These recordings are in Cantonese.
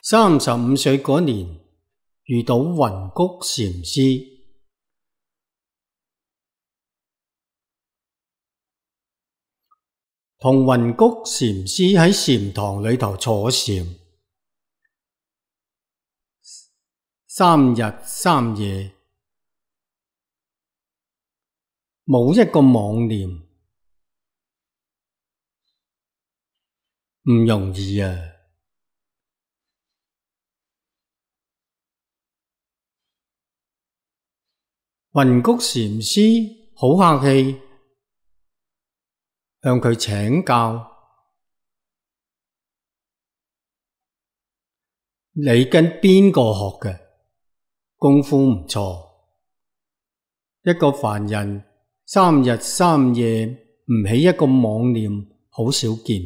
35歲嗰年遇到雲谷禪師，同雲谷禪師喺禪堂裏頭坐禪，3日3夜，冇一個妄念，唔容易啊！雲谷禪師好客氣，向佢請教，你跟邊個學嘅？功夫唔錯，一個凡人3日3夜唔起一個妄念，好少見。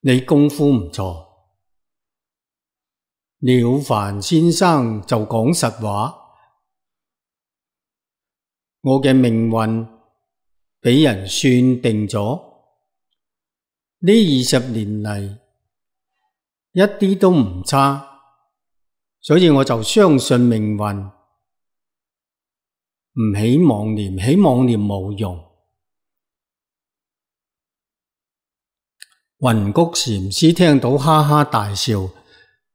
你功夫唔錯。了凡先生就講實話，我嘅命運俾人算定咗，呢20年嚟一啲都唔差，所以我就相信命運，唔起妄念，起妄念冇用。雲谷禪師聽到哈哈大笑，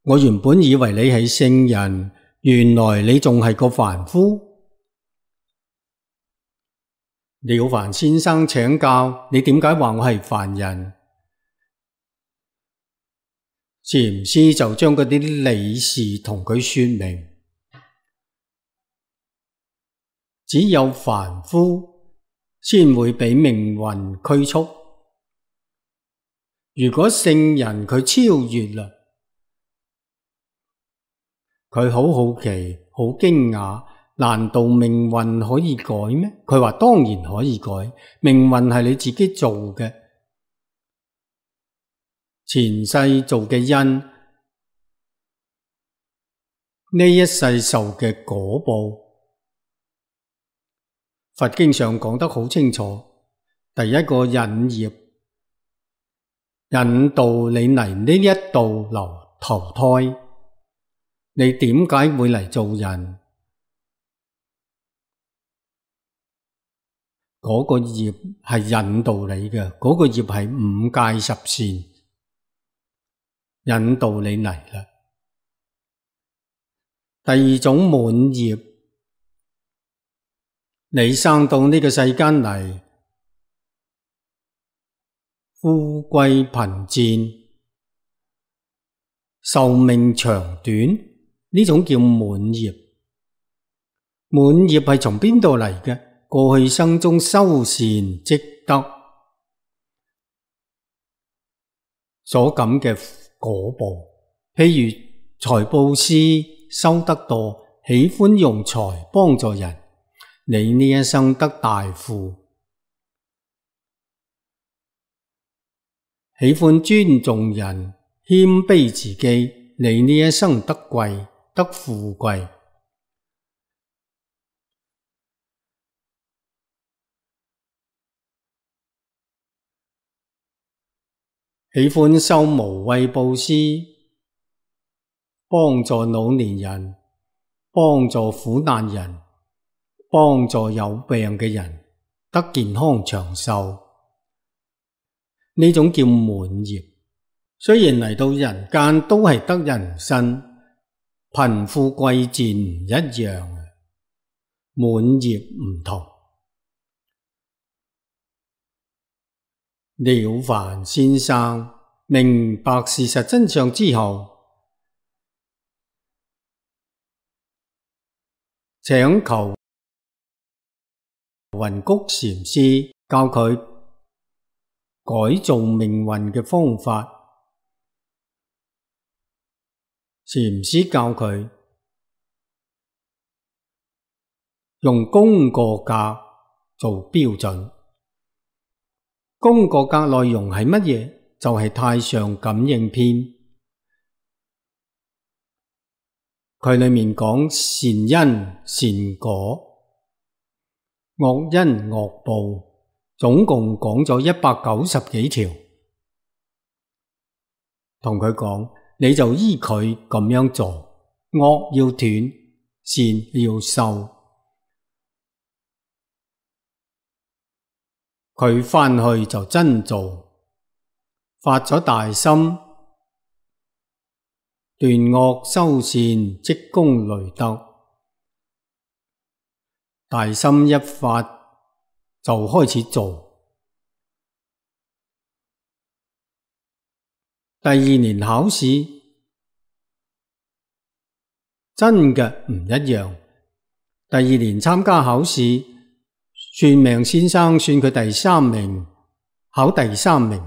我原本以為你係聖人，原來你仲係個凡夫。了凡先生請教，你點解話我係凡人？禪師就將嗰啲理事同佢說明，只有凡夫先會俾命運拘束，如果聖人佢超越啦，佢好好奇，好驚訝，難道命運可以改咩？佢話當然可以改，命運係你自己做嘅，前世做嘅因，呢一世受嘅果報。佛經上講得好清楚，第一個引業，引導你嚟呢一度投胎。你點解會嚟做人？嗰個業係引導你嘅，嗰個業係五戒十善，引導你嚟啦。第二種滿業，你生到呢個世間嚟，富貴貧賤，壽命長短，呢種叫滿業。滿業係從邊度嚟嘅？過去生中修善積德所感嘅果報，譬如財布施修得多，喜歡用財幫助人，你呢一生得大富；喜歡尊重人，謙卑自己，你呢一生得貴，得富貴。喜歡修無畏布施，幫助老年人，幫助苦難人，幫助有病嘅人得健康長壽，呢種叫滿業。雖然嚟到人間都係得人身，貧富貴賤唔一樣，滿業唔同。了凡先生明白事實真相之後，請求雲谷禪師教佢改造命運嘅方法。禪師教佢用功過格做標準。功過格內容係乜嘢？就係太上感應篇，佢裏面講善因善果，惡因惡報，總共講咗190幾條。同佢講，你就依佢咁樣做，惡要斷，善要修。佢返去就真做，發咗大心，斷惡修善，積功累德。大心一發就開始做。第二年考試真嘅唔一樣。第二年參加考試，算命先生算佢第3名，考第3名，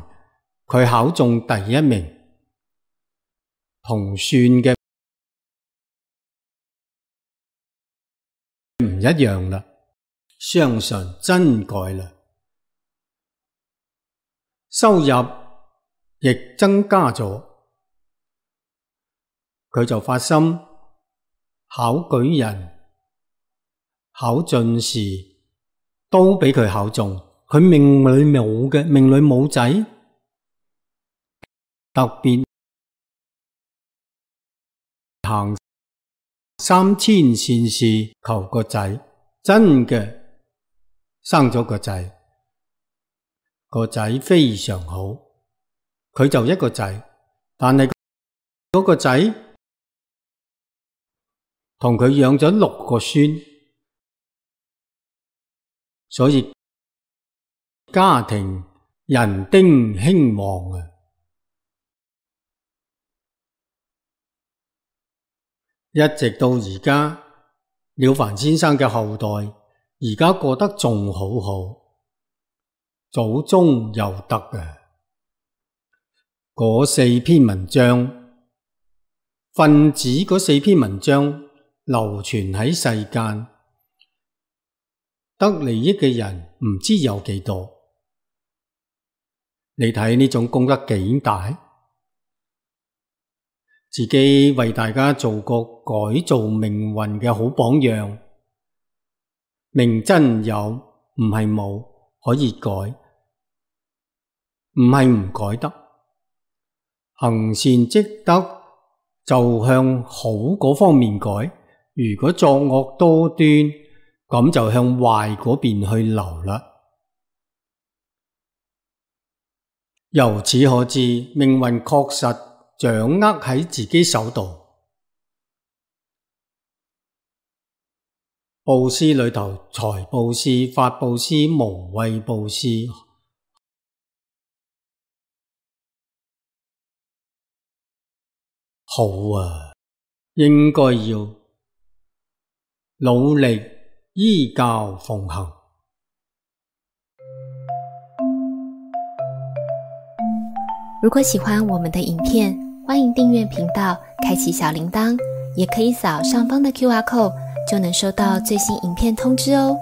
佢考中第1名，同算嘅唔一樣啦，相信真改啦，收入亦增加咗，佢就發心考舉人、考進士，都俾佢考中。佢命裏冇仔，特別行3000善事求個仔，真嘅生咗個仔，個仔非常好。佢就一個仔，但係嗰個仔同佢養咗6個孫，所以家庭人丁興旺啊！一直到而家，了凡先生嘅後代而家過得仲好好，祖宗有德啊！嗰4篇文章，分子嗰4篇文章流傳喺世間，得利益嘅人唔知有幾多。你睇呢種功德幾大？自己為大家做個改造命運嘅好榜樣。命真有，唔係冇，可以改，唔係唔改得。行善積德就向好嗰方面改，如果作惡多端，咁就向壞嗰邊去流啦。由此可知，命運確實掌握喺自己手度。布施裏頭，財布施、法布施、無畏布施，好啊，應該要努力依教奉行。如果喜歡我們的影片，歡迎訂閱頻道，開啟小鈴鐺，也可以掃上方的QR code，就能收到最新影片通知哦。